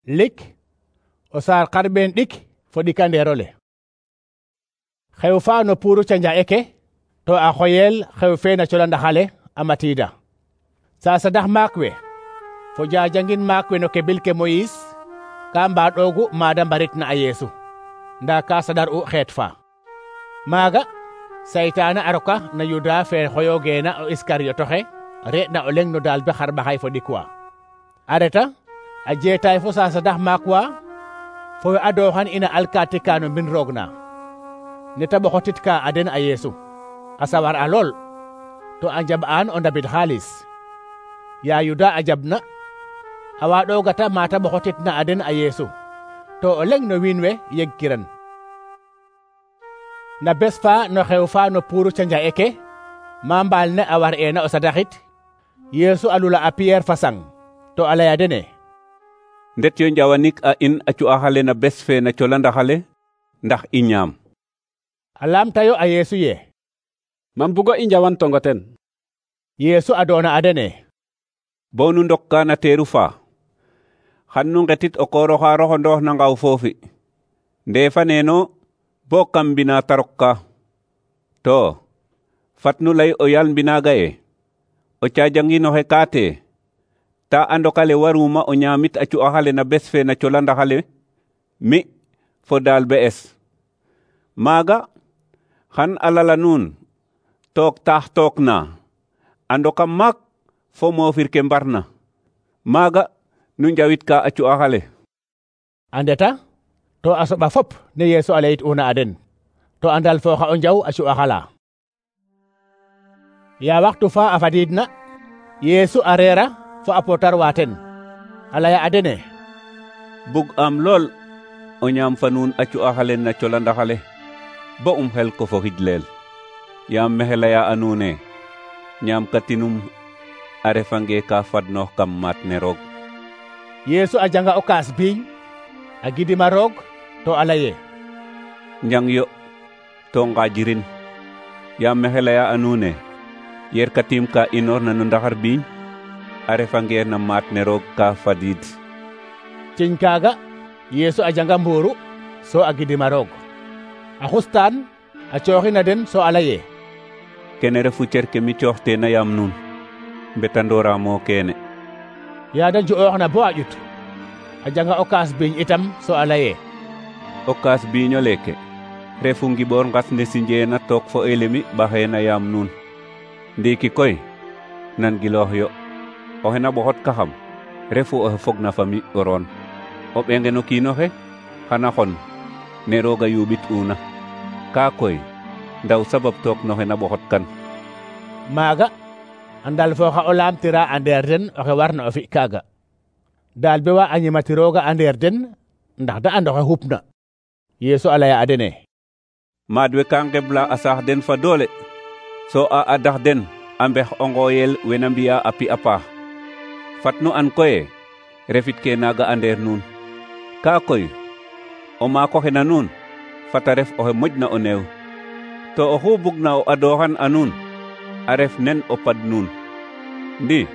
lik o saar xarɓeen ɗik fo ɗikandeerole. Xew fa no puuru canja eke to a xoyel xew fe na cola ndaxale a matiida. Sasadax maak we fo jajangin maak we no kebil ke Moyis ka mbaɗoogu maada mbaritna a Yeesu, nda ka saɗar u xeet fa. Maaga saytaane a roka na Yuda fe xoyoogeena o Iskariyotoxe re'na o leŋ no daal be xarɓaxay fo ɗik wa. A reta a jeetaay fo sasadax maak wa fo we adooxan ina alkaati ka no mbin roog na ne ta ɓoxotitka a den a Yeesu, a sawar a lool to a njaɓ'aan o ndabid xaalis. Ya Yuda a jaɓna a waaɗoogata mata ɓoxotitna a den a Yeesu, to o leŋ no wiin we yegkiran. Na bes fa no xew fa no puuru canja eke ma mbaal ne a war eena o sadaxit, Yeesu a lula a Piyeer fa sang to a laya dene: ndet yo njawanik a in a cu'axale na bes fe na cola ndaxale ndax i ñaam. A laamtayo a Yeesu ye: mam bugo i njawan tongo ten. Yeesu a doona a dene: bo nu ndokka na teeru fa xan nu ngetit o koor oxa roxondoox na ngaw foofi ndeefa neeno bo kam mbina ta rokka. To fat nu lay o yal mbinaaga ye o caajanginoxe kaate ta a ndokale waruma o ñaamit a cu'axale na bes fe na cola ndaxale mi fo daal be'es. Maaga xan a lala nuun took taax took na a ndokam maak fo moofir ke mbarna. Maaga nu njawitka a cu'axale. A ndeta to a soɓa fop ne Yeesu a layit'una a den, to a ndalfooxa o njaw a cu'axala. Ya waxtu fa a fadiidna, Yeesu a reera fo a pootar wa ten, a laya a dene: bug am lool o ñaam fa nuun a cu'axale na cola ndaxale bo xel ko fo xijleel. Yaam mexe laya a nuune ñaam katinum a refange ka fadnoox kam maat ne roog. Yeesu a janga o kaas biiñ a gidima roog to a laye: njang yo to ngaajirin. Yaam mexe laya a nuune yer katim ka inoorna no ndaxar biiñ a refangeer na maat ne roog ka fadiid. Ciñ kaaga Yeesu a janga mbuuru so a gidima roog, a xustaan a cooxina den so a laye: kene refu cer ke mi cooxteena yaam nuun, mbetandooramo kene. Yaada ju'ooxna bo a ƴut a janga o kaas biiñ itam so a laye: o kaas biiño leke refu ngiɓoor ngas ne sinjeena took fo elemi ɓaxeena yaam nuun. Ndiiki koy nan giloox yo, oxe na ɓoxot kaxam refu oxe fogna fami o roon. O ɓengen o kiinoxe xana xon ne rooga yuɓit una, kaa koy ndaw sabab took noxe na ɓoxot kan. Maaga a ndalfooxa o laamtira a ndeer den oxe warna o fi kaaga. Daal be wa a ñimatirooga a ndeer den ndax da and oxe xupna. Yeesu a laya a dene: maad we ka ngebla a saax den fa doole, so a adax den a mbex o ngooyel wena mbi'a a pi a paax. Fat nu an koye refit ke naaga a ndeer nuun. Kaa koy o maak oxe na nuun fata ref oxe moƴna o neew, to oxu bugna o adooxan a nuun a ref nen o pad nuun. Ndi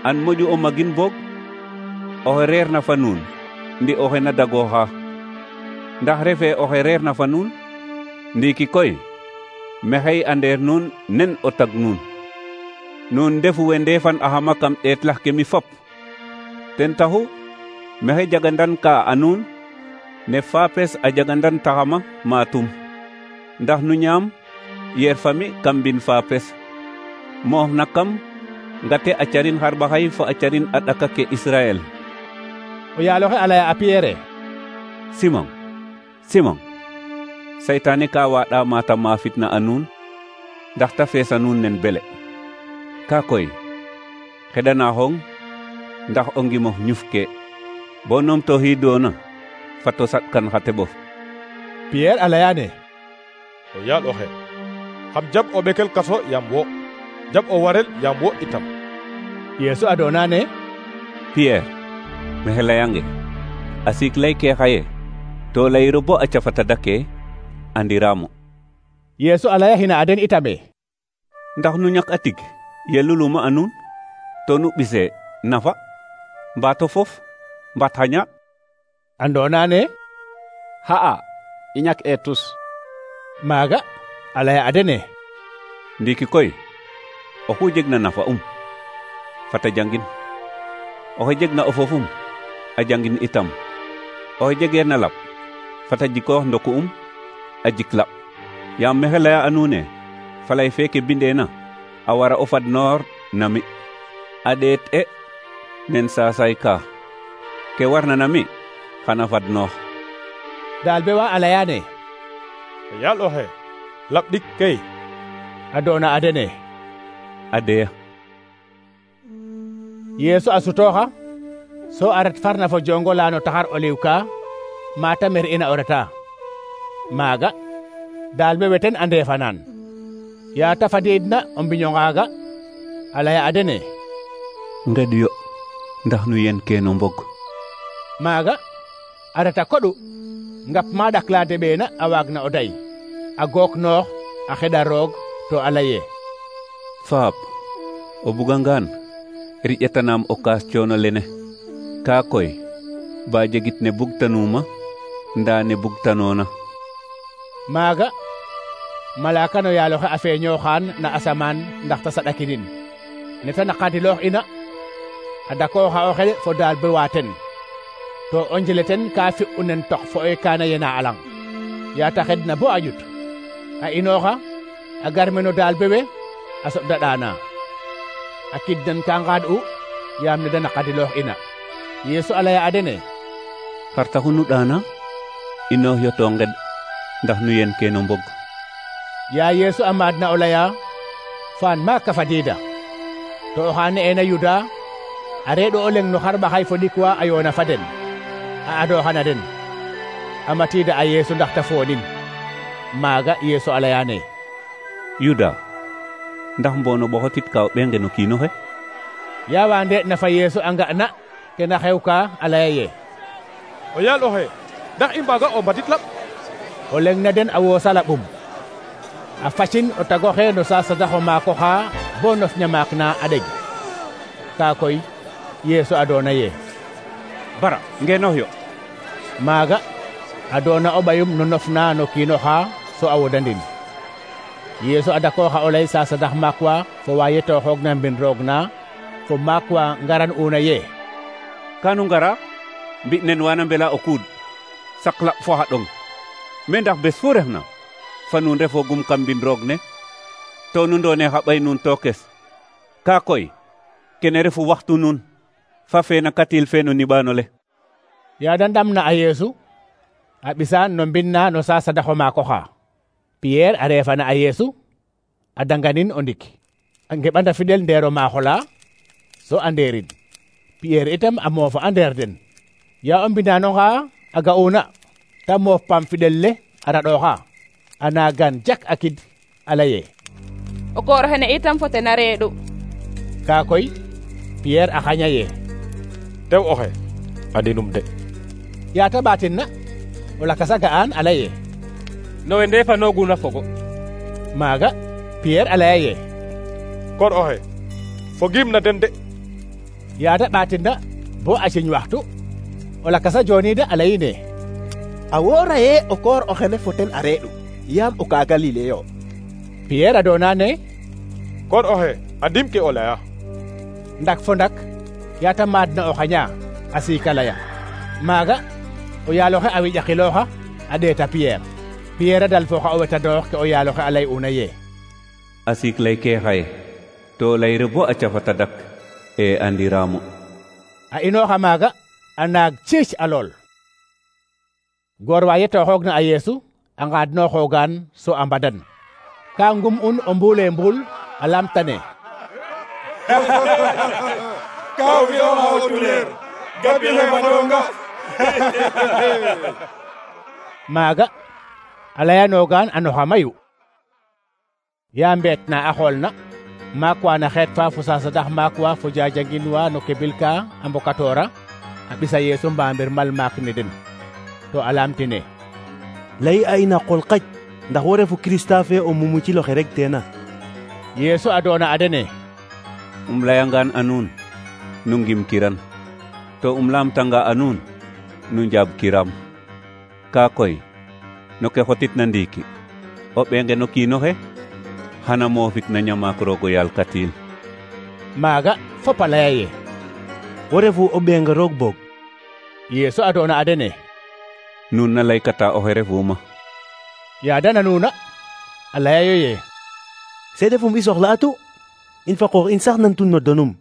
an moƴu o magin boog oxe reer na fa nuun ndi oxe na dagooxa. Ndax refe oxe reer na fa nuun? Ndiiki koy mexey a ndeer nuun nen o tag nuun. Nuun ndefu we ndeefan axama kam ɗeetlax ke mi fop. Ten taxu mexey jagandan ka a nuun ne faapes a jagandan taxama maatum. Ndax nu ñaam yer fami kam mbin faapes, moof na kam ngate a carin xarɓaxay fo a carin a ɗaka ke Israel. O yaaloxe a laya a Piyeere: Simon, Simon, saytaane ka waaɗa mata maafitna a nuun ndax ta feesa nuun nen bele. Kaa koy xeɗanaxong ndax o ngimox ñufke bo numtooxiidoona fat o saɗkan xa teɓof. Piyeer a layaane: o yaal oxe, xam jaɓ o ɓekel kaso yaam wo, jaɓ o warel yaam wo itam. Yeesu a doonaane: Piyeer, mexe layange a siik lay ke xaye to layiro bo a cafata dake andiraamo. Yeesu a layaxina a den itame: ndax nu ñak a tig ye luluma a nuun to nu ɓise nafa mbaato fof mbaat xa ñaaɗ? andona ne xa'a i ñak e tus. maaga a laya a dene: Ndiki koy oxu jegna nafa fata jangin. Oxe jegna o fofum a jangin itam. Oxe jegeerna laɓ fata jikoox ndoku a jik laɓ. Yaam mexe laya a nuun e falay feke bindeena a wara o fadnoor na mi. A ɗeet nen saasay ka ke warna na mi xana fadnoox. daal be wa a layane: o yaal oxe laɓ ɗik kay. a doona a dene: A deya. Yeesu a sutooxa so a ret farna fo jongo la no taxar oliw ka mata mer ina o reta. maaga daal be weten a ndeefanaan. yaa ta fadiidna o mbiño ngaaga a laya a dene: Ngeɗyo ndax nu yen keno mbog. maaga a reta koɗu ngap ma ɗakla deɓeena a waagna o day a gook noox a xeɗa roog to a laye: Faap, o bugangaan riƴetanaam o kaas coono lene. Kaa koy ba jegit ne bugtanuuma ndaa ne bugtanoona. maaga malaaka no yaaloxe a feeñooxaan na asamaan ndax ta saɗakinin neta naqadiloox ina a dakooxa o xel fo daal be waaten to o njele ten ka fi'u nen tox fo e kaana yena a lang yaa ta xedna bo a ƴut a inooxa a gar meno daal bewe a soɓda ɗaana a kidnan ka ngaad'u yaam ne da naqadiloox ina. Yeesu a laya a dene: Xar taxu nu ɗaana inoox yo to nged ndax nu yen keno mbog. yaa Yeesu a maadna o laya faan maaka fadiida to oxa ne'eena Yuda a reeɗo o leng no xar ɓaxay fo ɗikwa a yoona fa den a adooxana den a matiida a Yeesu ndax ta foonin. maaga Yeesu a layane: Yuda, ndax mboono ɓoxotit ka o ɓenge no kiino xe? yaa wa ndeeɗna fa Yeesu a nga'na kena xew ka a laya ye: o yaal oxe ndax i mbaaga o mbatit laɓ? o leng na den a woosa laɓum a facin o tagoxe no saasadaxo maako xa bo nof ñamaak na a ɗeg. kaa koy Yeesu a doona ye: Bara ngeenoox yo. maaga a doona o ɓayum no nof na no kiino xa so a wodandin. Yeesu a dakooxa o lay saasadax maak wa fo wa yetooxoogna mbin roog na fo maak wa ngaran una ye: Kanu ngara mbi nen wana mbela o kuud sak laɓ fo xa ɗong. Me ndax bes fu refna fa nuun refoogum kam mbin roog ne to nu ndoone xa ɓay nuun tookes. Kaa koy kene refu waxtu nuun fa feena katil fe no niɓaano le. yaa da ndamna a Yeesu a ɓisaan no mbin na no saasadaxo maako xa. Piyeer a reefana a Yeesu a danganin o ndik a ngeɓanda fidel ndeero maaxo la so a ndeerin. Piyeer itam a moofa a ndeer den. yaa o mbinaano xa a ga'una ta moof paam fidel le a raɗooxa a naagan jak a kid a laye: o koor xene itam fo ten a reeɗu. kaa koy Piyeer a xaña ye: Tew oxe andinum de. yaa ta ɓaatin na o lakas a ga'aan a laye: no we ndeefanooguna fogo. maaga Piyeer a laya ye: Kor oxe fogiim na den de. yaa ta ɓaatin na bo a ciñ waxtu o lakas a jooniida a layine: a woora ye o koor oxene fo ten a reeɗu yaam o ka Galile yo. Piyeer a doona ne: Kor oxe andim ke o laya. ndak fo ndak yaa ta maadna o xaña a siika laya. maaga o yaaloxe a wiƴakilooxa a ɗeeta Piyeer. Piyeer a dal fooxa o wetadoox ke o yaaloxe a lay'una ye: A siik lay ke xaye to layre bo a cafata dak e andiraamu. a inooxa maaga a naag ciic a lool. goor wa yetooxoogna a Yeesu a ngaadnooxoogaan so a mbadan. ka ngum'un o mbuule mbuul a lamtane: Ka fi'ooxa o tuleer gabile fadonga. maaga a layanoogaan a noxa mayu. yaa mbeet na a xoolna maak wa na xeet fa fo saasadax maak wa fo jajangin wa no kebil ka a mbokatoora a ɓisa Yeesu mbaamir mal maak ne den to a laamtine: lay a in a qol qaj ndax wo refu Kirista fe o mumuciloxe rek teena. Yeesu a doona a dene: layangaan a nuun nu ngim kiran to lamtanga a nuun nu njaab kiram. Kaa koy no ke xotitna ndiiki o ɓenge no kiinoxe xana moofit na ñamaak roogo yaal katiil. maaga fop a laya ye wo refu o ɓeenga roog boog. Yeesu a doona a dene Nuun na laykata oxe refuma. yaada nanuna a laya yo ye seede fum i soxla'atu in fa qoox in sax nan tun no donum.